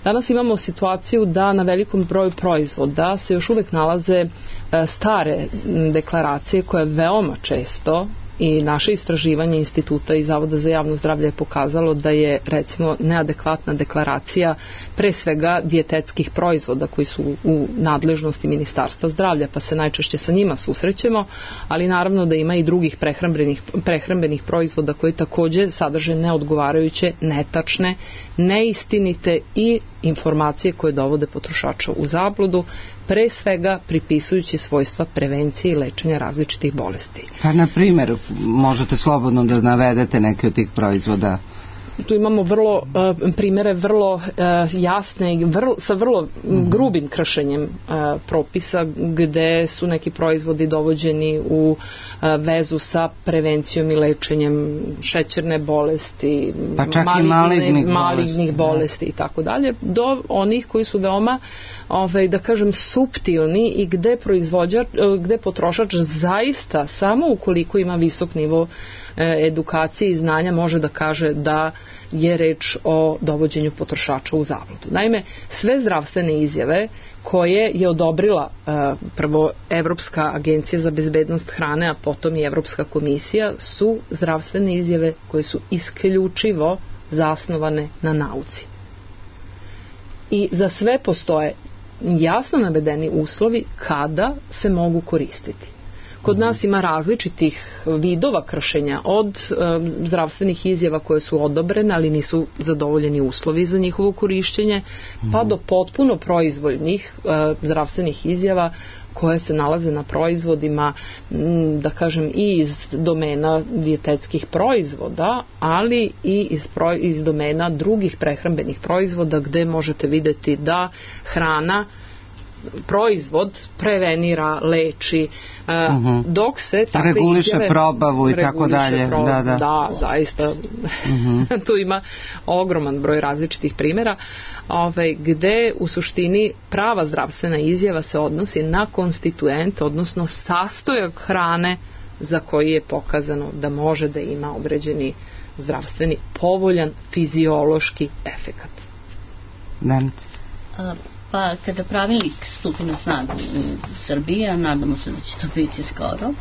Danas imamo situaciju da na velikom broju proizvoda se još uvek nalaze stare deklaracije koje veoma često, i naše istraživanje Instituta i Zavoda za javno zdravlje je pokazalo da je recimo neadekvatna deklaracija pre svega dijetetskih proizvoda koji su u nadležnosti Ministarstva zdravlja, pa se najčešće sa njima susrećemo, ali naravno da ima i drugih prehrambenih proizvoda koji takođe sadrže neodgovarajuće, netačne, neistinite i informacije koje dovode potrošača u zabludu, pre svega pripisujući svojstva prevencije i lečenja različitih bolesti. Pa na primjer, možete slobodno da navedete neke od tih proizvoda. Tu imamo primere vrlo jasne i sa vrlo grubim kršenjem propisa gde su neki proizvodi dovođeni u vezu sa prevencijom i lečenjem šećerne bolesti, pa čak malignih bolesti i tako dalje, do onih koji su veoma da kažem suptilni i gde potrošač zaista samo ukoliko ima visok nivo edukacije i znanja može da kaže da je reč o dovođenju potrošača u zabludu. Naime, sve zdravstvene izjave koje je odobrila prvo Evropska agencija za bezbednost hrane, a potom i Evropska komisija, su zdravstvene izjave koje su isključivo zasnovane na nauci. I za sve postoje jasno navedeni uslovi kada se mogu koristiti. Kod nas ima različitih vidova kršenja, od zdravstvenih izjava koje su odobrene, ali nisu zadovoljeni uslovi za njihovo korišćenje, pa do potpuno proizvoljnih zdravstvenih izjava koje se nalaze na proizvodima, da kažem, i iz domena dijetetskih proizvoda, ali i iz domena drugih prehrambenih proizvoda, gde možete vidjeti da hrana, proizvod prevenira, leči, dok se takve reguliše izjave probavu i tako dalje. Da, zaista tu ima ogroman broj različitih primjera, gde u suštini prava zdravstvena izjava se odnosi na konstituent, odnosno sastojak hrane za koji je pokazano da može da ima određeni zdravstveni povoljan fiziološki efekat. Pa kada pravilnik stupi na snagu u Srbiji, a nadamo se da će to biti skoro,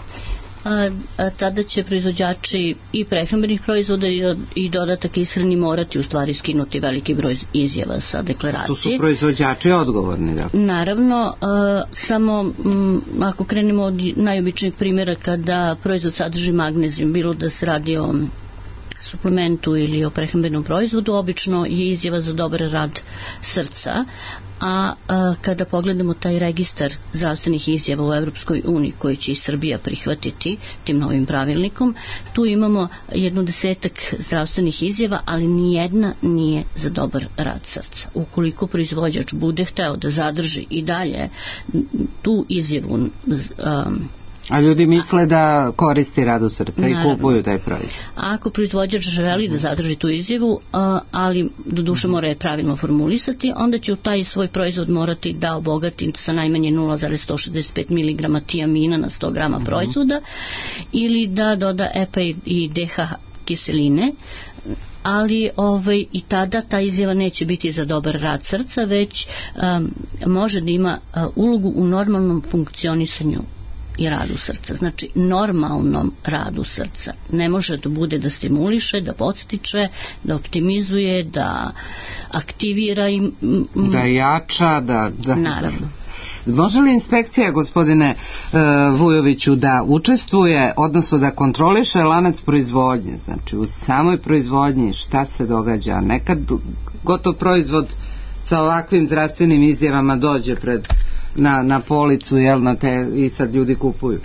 tada će proizvođači i prehrambenih proizvoda i dodatak ishrani morati u stvari skinuti veliki broj izjava sa deklaracije. Tu su proizvođači odgovorni, da? Naravno, samo ako krenemo od najobičnijeg primjera, kada proizvod sadrži magnezijum, bilo da se radi o suplementu ili o prehrambenom proizvodu, obično je izjava za dobar rad srca, a kada pogledamo taj registar zdravstvenih izjava u Evropskoj uniji koji će i Srbija prihvatiti tim novim pravilnikom, tu imamo 10 zdravstvenih izjava, ali nijedna nije za dobar rad srca. Ukoliko proizvođač bude hteo da zadrži i dalje tu izjavu, a ljudi misle da koristi radu srca i kupuju taj proizvod. Ako proizvođač želi da zadrži tu izjavu, ali doduše mora je pravilno formulisati, onda će u taj svoj proizvod morati da obogati sa najmanje 0,165 mg tiamina na 100 grama proizvoda, ili da doda EPA i DH kiseline, ali i tada ta izjava neće biti za dobar rad srca, već može da ima ulogu u normalnom funkcionisanju i radu srca, znači normalnom radu srca. Ne može da bude da stimuliše, da podstiče, da optimizuje, da aktivira i da jača, da... Naravno. Može li inspekcija, gospodine Vujoviću, da učestvuje, odnosno da kontroliše lanac proizvodnje, znači u samoj proizvodnji šta se događa? Nekad gotov proizvod sa ovakvim zdravstvenim izjavama dođe na policu, i sad ljudi kupuju.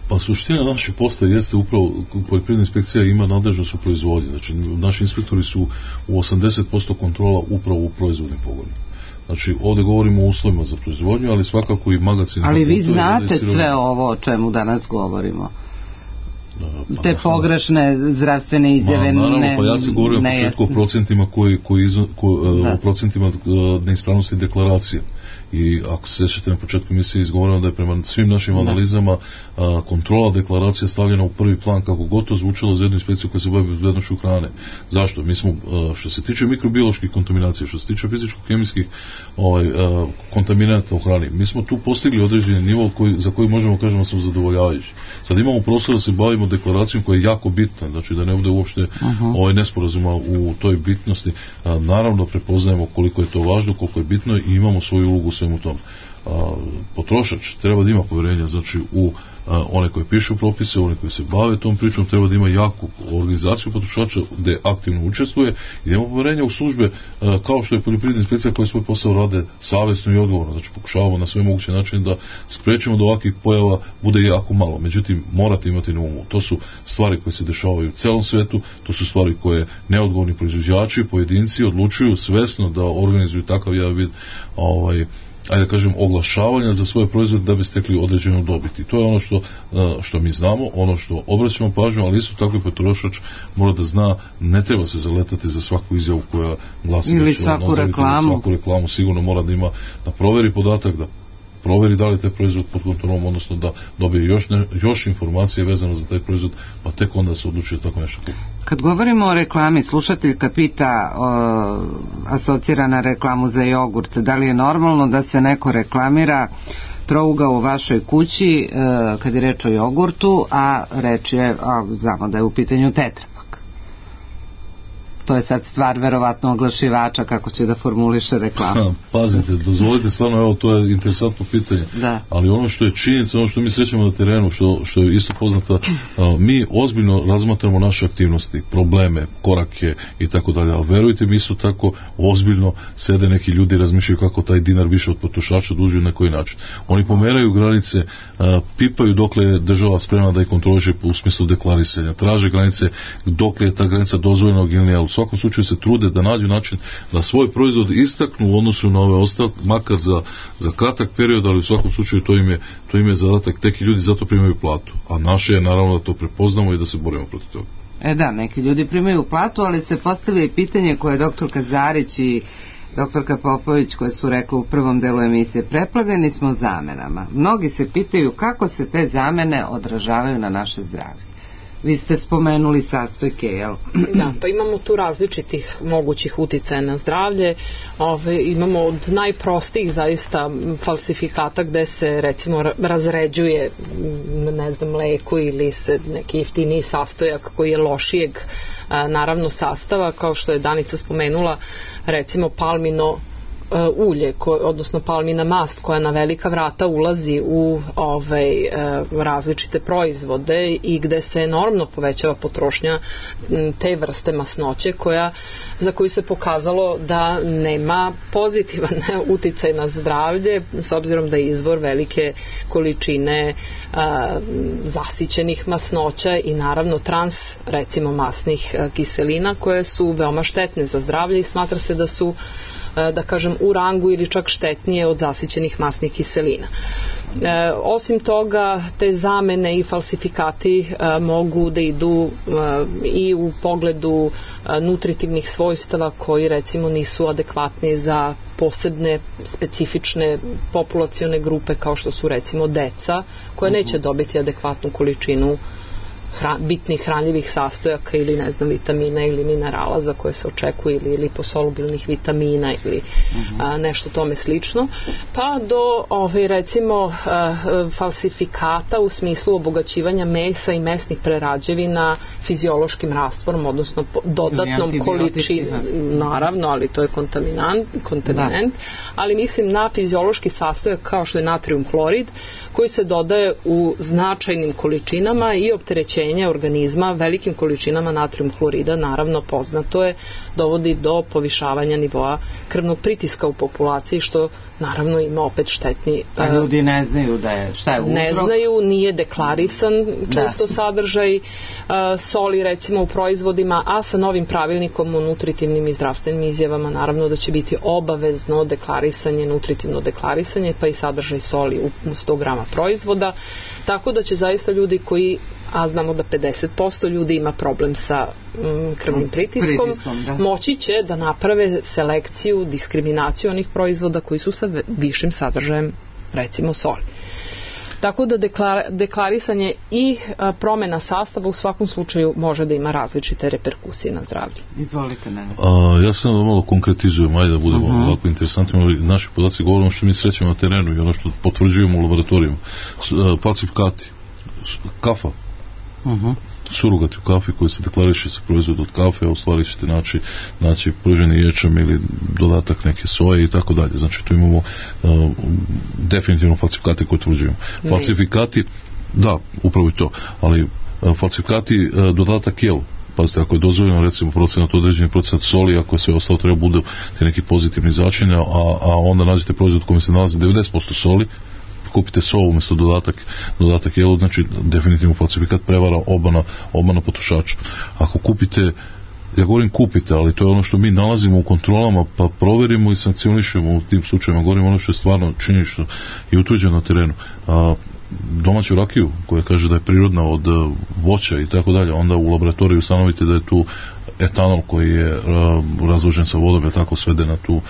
Pa suština naših posla jeste upravo, poljoprivredna inspekcija ima nadležnost u proizvodnji, znači naši inspektori su u 80% kontrola upravo u proizvodnim pogonima. Znači ovdje govorimo o uslovima za proizvodnju, ali svakako i magazin. Ali vi znate sve ovo o čemu danas govorimo? Te pogrešne zdravstvene izjave. Naravno, pa ja se govorim o početku o procentima o procentima neispravnosti deklaracije. I ako se sjećate, na početku emisije izgovoreno da je prema svim našim analizama kontrola deklaracija stavljena u prvi plan, kako gotovo zvučalo za jednu inspekciju koja se bavi bezbednošću hrane. Zašto? Mi smo, što se tiče mikrobioloških kontaminacija, što se tiče fizičko-kemijskih kontaminata u hrani, mi smo tu postigli određeni nivo za koji možemo kažemo smo zadovoljavajući. Sad imamo prostor da se bavimo deklaracijom koja je jako bitna, znači da ne bude uopšte nesporazuma u toj bitnosti. Naravno prepoznajemo koliko je to važno, koliko je bitno i imamo svoju ulogu u svemu tom. Potrošač treba da ima povjerenja, znači u one koje pišu propise, one koje se bave tom pričom, treba da ima jaku organizaciju potrošača gde aktivno učestvuje i da ima povjerenja u službe kao što je poljoprivredna inspekcija koja svoj posao rade savjesno i odgovorno, znači pokušavamo na sve moguće načine da sprečimo da ovakvih pojava bude jako malo, međutim morate imati na umu, to su stvari koje se dešavaju u celom svetu, to su stvari koje neodgovorni proizvođači, pojedinci odlučuju svesno da organizuju takav jedan vid ajde da kažem, oglašavanja za svoje proizvode da bi stekli određenu dobit. I to je ono što mi znamo, ono što obraćamo pažnju, ali isto tako i potrošač mora da zna, ne treba se zaletati za svaku izjavu koja glasi ili svaku reklamu, sigurno mora da ima, da proveri podatak, da proveri da li je taj proizvod pod kontrolom, odnosno da dobije još informacije vezano za taj proizvod, pa tek onda se odlučuje tako nešto. Kad govorimo o reklami, slušateljka pita asocira na reklamu za jogurt, da li je normalno da se neko reklamira trougao u vašoj kući kad je reč o jogurtu, a reč je, znamo da je u pitanju tetrapak. to je sad stvar verovatno oglašivača kako će da formuliše reklamu. Pazite, dozvolite stvarno, evo, to je interesantno pitanje, ali ono što je činjenica, ono što mi srećemo na terenu, što je isto poznato, mi ozbiljno razmatramo naše aktivnosti, probleme, korake i tako dalje, ali verujte mi isto tako ozbiljno sede neki ljudi i razmišljaju kako taj dinar više od potrošača duži na koji način. Oni pomeraju granice, pipaju dokle je država spremna da ih kontroliše u smislu deklarisanja, traže granice dokle je ta granica dozvoljenog ili ne, ali u svakom slučaju se trude da nađu način da svoj proizvod istaknu u odnosu na ove ostale, makar za kratak period, ali u svakom slučaju to im je zadatak, teki ljudi zato primaju platu, a naše je naravno da to prepoznamo i da se borimo protiv toga. Da, neki ljudi primaju platu, ali se postavlja i pitanje koje je doktorka Zarić i doktorka Popović koje su rekli u prvom delu emisije, preplavljeni smo zamenama. Mnogi se pitaju kako se te zamene odražavaju na naše zdravlje. Vi ste spomenuli sastojke, jel? Da, pa imamo tu različitih mogućih uticaja na zdravlje. Imamo od najprostijih zaista falsifikata gde se recimo razređuje mleko ili se neki jeftiniji sastojak koji je lošijeg naravno sastava, kao što je Danica spomenula, recimo palmino ulje, odnosno palmina mast koja na velika vrata ulazi u različite proizvode i gde se enormno povećava potrošnja te vrste masnoće za koju se pokazalo da nema pozitivan uticaj na zdravlje s obzirom da je izvor velike količine zasićenih masnoća i naravno recimo masnih kiselina koje su veoma štetne za zdravlje i smatra se da su da kažem u rangu ili čak štetnije od zasićenih masnih kiselina. Osim toga, te zamene i falsifikati mogu da idu i u pogledu nutritivnih svojstava koji recimo nisu adekvatni za posebne specifične populacione grupe kao što su recimo deca koja neće dobiti adekvatnu količinu bitnih hranljivih sastojaka ili vitamina ili minerala za koje se očekuje ili liposolubilnih vitamina ili nešto tome slično, pa do recimo falsifikata u smislu obogaćivanja mesa i mesnih prerađevina fiziološkim rastvorom, odnosno dodatnom količinom, naravno, ali to je kontaminant, ali mislim na fiziološki sastojak kao što je natrijum hlorid koji se dodaje u značajnim količinama i opterećenje organizma velikim količinama natrijum hlorida, naravno poznato je, dovodi do povišavanja nivoa krvnog pritiska u populaciji, što naravno ima opet štetni... A ljudi ne znaju šta je uzrok? Ne znaju, nije deklarisan često sadržaj soli recimo u proizvodima, a sa novim pravilnikom o nutritivnim i zdravstvenim izjavama naravno da će biti obavezno deklarisanje, nutritivno deklarisanje, pa i sadržaj soli u 100 grama proizvoda, tako da će zaista ljudi koji, a znamo da 50% ljudi ima problem sa krvnim pritiskom, moći će da naprave selekciju, diskriminaciju onih proizvoda koji su sa višim sadržajem recimo soli. Tako da deklarisanje i promena sastava u svakom slučaju može da ima različite reperkusije na zdravlje. Izvolite, Nenad. Ja sam da malo konkretizujem, ajde da budemo ovako interesantni. Naši podaci govorimo što mi srećemo na terenu i ono što potvrđujemo u laboratorijima. Falsifikati, kafa, surogati u kafi koji se deklariše se proizvod od kafe, a u stvari ćete naći pruženi ječam ili dodatak neke soje i tako dalje. Znači tu imamo definitivno falsifikate koje utvrđujemo. Falsifikati, da, upravo i to, ali falsifikati dodatak jelu. Pazite, ako je dozvoljeno recimo određeni procenat soli, ako sve ostalo treba bude neki pozitivni začinja, a onda nađete proizvod u kojem se nalazi 90% soli, kupite soju umjesto dodatak jelu, znači definitivno falsifikat, prevara, obmana potrošača. Ako kupite, ja govorim kupite, ali to je ono što mi nalazimo u kontrolama, pa proverimo i sankcionišemo u tim slučajima, govorimo ono što je stvarno činjenično i utvrđeno na terenu. Domaću rakiju koja kaže da je prirodna od voća i tako dalje, onda u laboratoriju ustanovite da je tu etanol koji je razložen sa vodom, je tako svede na tu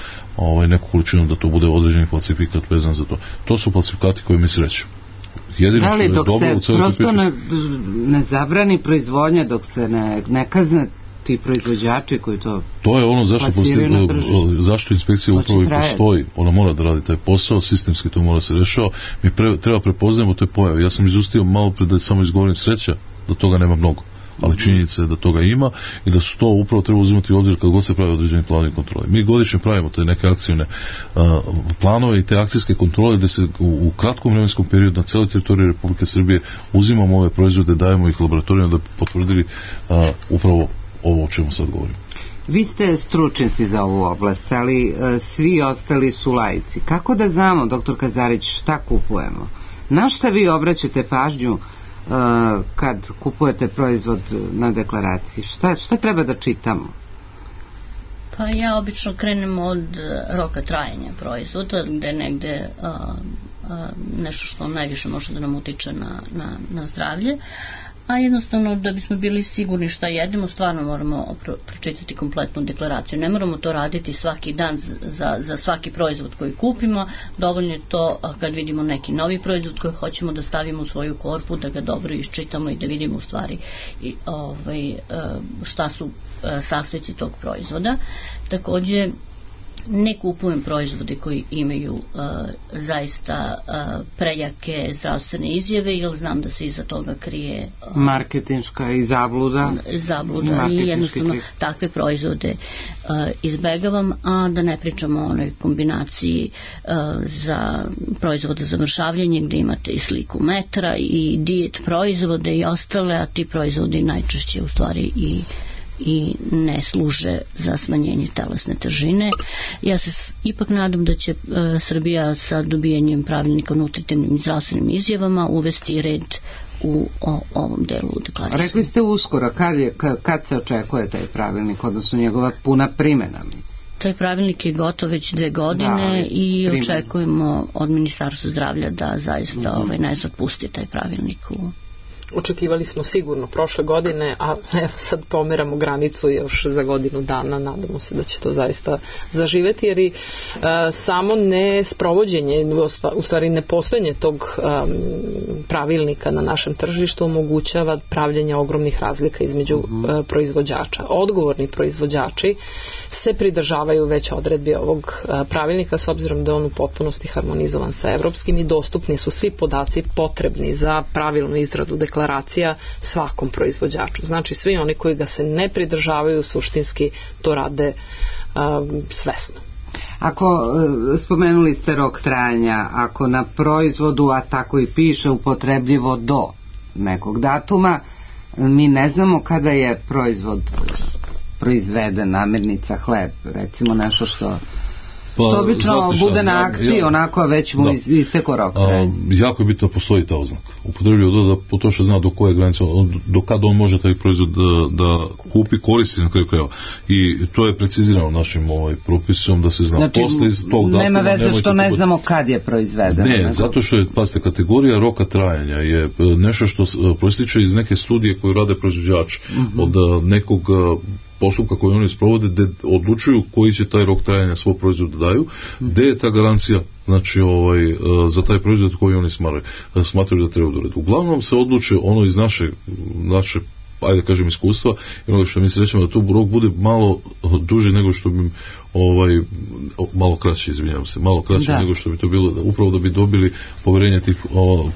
neku količinu da to bude određeni falsifikat vezan za to. To su falsifikati koji mi srećemo. Da li dok se prosto ne zabrani proizvodnja, dok se ne kazne ti proizvođači koji to je ono zašto inspekcija upravo i postoji, ona mora da radi taj posao, sistemski to mora se rešava, mi treba prepoznajemo te pojave. Ja sam izustio malo pre da samo izgovorim sreća, da toga nema mnogo. ali činjenica je da toga ima i da su to upravo treba uzimati u obzir kad god se pravi određeni planovi kontrole. Mi godišnje pravimo te neke akcijne planove i te akcijske kontrole gdje se u kratkom vremenskom periodu na cijeloj teritoriji Republike Srbije uzimamo ove proizvode, dajemo ih laboratorijama da bi potvrdili upravo ovo o čemu sad govorimo. Vi ste stručnjaci za ovu oblast, ali svi ostali su laici. Kako da znamo, doktor Kazarić, šta kupujemo? Na šta vi obraćate pažnju kad kupujete proizvod na deklaraciji? Šta treba da čitamo? Pa ja obično krenem od roka trajanja proizvoda, gde je negde nešto što najviše može da nam utiče na zdravlje, a jednostavno da bismo bili sigurni šta jedemo, stvarno moramo pročitati kompletnu deklaraciju. Ne moramo to raditi svaki dan za svaki proizvod koji kupimo, dovoljno je to kad vidimo neki novi proizvod koji hoćemo da stavimo u svoju korpu, da ga dobro iščitamo i da vidimo u stvari šta su sastojci tog proizvoda. Takođe, ne kupujem proizvode koji imaju zaista prejake zdravstvene izjave, jer znam da se iza toga krije marketinška i zabluda i jednostavno takve proizvode izbegavam, a da ne pričamo o onoj kombinaciji za proizvode za mršavljenje gdje imate i sliku metra i dijet proizvode i ostale, a ti proizvodi najčešće u stvari i ne služe za smanjenje telesne težine. Ja se ipak nadam da će Srbija sa dobijanjem pravilnika o nutritivnim i zdravstvenim izjavama uvesti red u ovom delu deklaracije. Rekli ste uskoro, kad se očekuje taj pravilnik, odnosno njegova puna primjena? Taj pravilnik je gotov već 2 godine i očekujemo od Ministarstva zdravlja da zaista najzad pusti taj pravilnik u... Očekivali smo sigurno prošle godine, a evo sad pomeramo granicu još za godinu dana, nadamo se da će to zaista zaživeti, jer i samo ne sprovođenje, u stvari ne postojanje tog pravilnika na našem tržištu omogućava pravljenje ogromnih razlika između proizvođača. Odgovorni proizvođači se pridržavaju već odredbi ovog pravilnika, s obzirom da je on u potpunosti harmonizovan sa evropskim i dostupni su svi podaci potrebni za pravilnu izradu deklaracija svakom proizvođaču. Znači svi oni koji ga se ne pridržavaju suštinski to rade svesno. Ako spomenuli ste rok trajanja, ako na proizvodu, a tako i piše, upotrebljivo do nekog datuma, mi ne znamo kada je proizvod proizveden, namirnica, hleb, recimo nešto što obično bude na akciji, onako već mu isteko rok. Jako je bitno da postoji ta oznaka. Upotrebljivo da potrošač zna do koje granice, do kada on može taj proizvod da kupi, koristi na kraju krajeva. I to je precizirano našim propisom da se zna. Znači, nema veze što ne znamo kad je proizveden. Ne, zato što je, pazite, kategorija roka trajanja je nešto što proističe iz neke studije koju rade proizvođači od nekog postupka koji oni sprovode, gde odlučuju koji će taj rok trajanja svog proizvoda daju, gde je ta garancija, znači za taj proizvod koji oni smatraju da treba doraditi. Uglavnom se odluče ono iz naše ajde kažem iskustva, i ono što mi se rećemo da tu rok bude malo duži nego što bi malo kraće, izvinjavam se, malo kraće nego što bi to bilo, upravo da bi dobili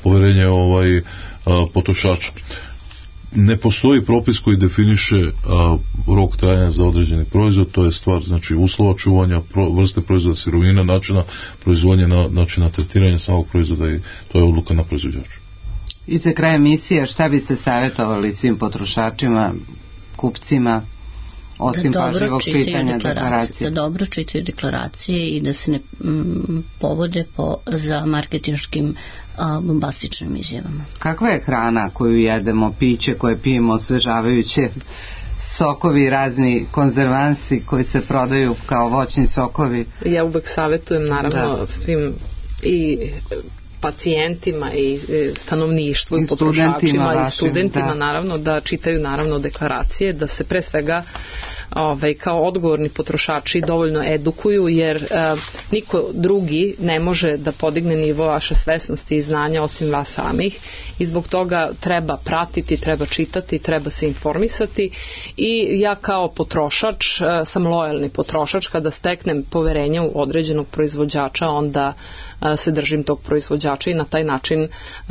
poverenje potrošača. Ne postoji propis koji definiše rok trajanja za određeni proizvod, to je stvar znači uslova čuvanja, vrste proizvoda, sirovina, načina proizvodnje, načina tretiranja samog proizvoda i to je odluka na proizvođaču. I za kraj emisije, šta biste savjetovali svim potrošačima, kupcima, osim pažljivog čitanja deklaracije? Da dobro čitaju deklaracije i da se ne povode za marketinškim bombastičnim izjavama. Kakva je hrana koju jedemo, piće koje pijemo, osvežavajuće, sokovi, razni konzervansi koji se prodaju kao voćni sokovi? Ja uvek savjetujem naravno svim i pacijentima i stanovništvu i potrošačima i studentima naravno da čitaju naravno deklaracije, da se pre svega kao odgovorni potrošači dovoljno edukuju, jer niko drugi ne može da podigne nivo vaše svesnosti i znanja osim vas samih, i zbog toga treba pratiti, treba čitati, treba se informisati. I ja kao potrošač sam lojalni potrošač. Kada steknem poverenje u određenog proizvođača, onda se držim tog proizvođača i na taj način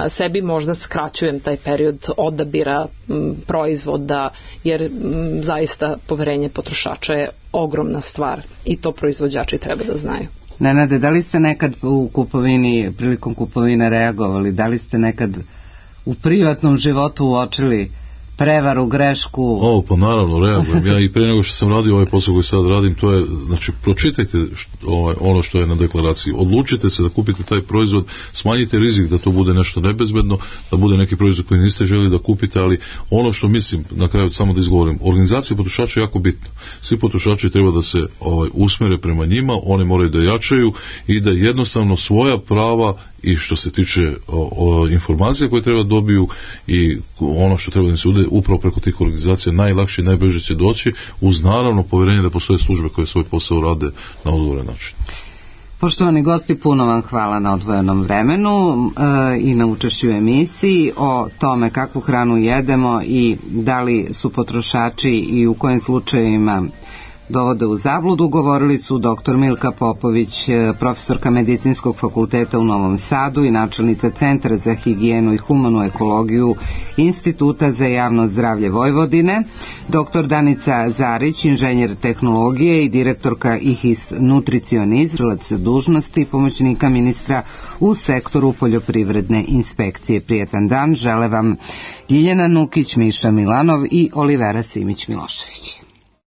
sebi možda skraćujem taj period odabira proizvoda, jer zaista poverenje potrošača je ogromna stvar i to proizvođači treba da znaju. Nenade, da li ste nekad u kupovini, prilikom kupovine reagovali, da li ste nekad u privatnom životu uočili prevaru, grešku? Pa naravno reagujem. Ja i pre nego što sam radio ovaj posao koji sad radim, to je, znači, pročitajte ono što je na deklaraciji, odlučite se da kupite taj proizvod, smanjite rizik da to bude nešto nebezbedno, da bude neki proizvod koji niste želi da kupite, ali ono što mislim, na kraju samo da izgovorim, organizacija potrošača je jako bitna. Svi potrošači treba da se usmere prema njima, oni moraju da jačaju i da jednostavno svoja prava i što se tiče informacija koje treba dobiju i ono što treba da se ude upravo preko tih organizacija najlakše i najbrže će doći, uz naravno povjerenje da postoje službe koje svoj posao rade na odgovoran način. Poštovani gosti, puno vam hvala na odvojenom vremenu i na učešću u emisiji. O tome kakvu hranu jedemo i da li su potrošači i u kojim slučajevima dovode u zabludu, govorili su dr. Milka Popović, profesorka Medicinskog fakulteta u Novom Sadu i načelnica Centra za higijenu i humanu ekologiju Instituta za javno zdravlje Vojvodine, dr. Danica Zarić, inženjer tehnologije i direktorka IHIS Nutricionizm, dužnosti pomoćnika ministra u sektoru poljoprivredne inspekcije. Prijetan dan žele vam Ljiljana Nukić, Miša Milanov i Olivera Simić Milošević.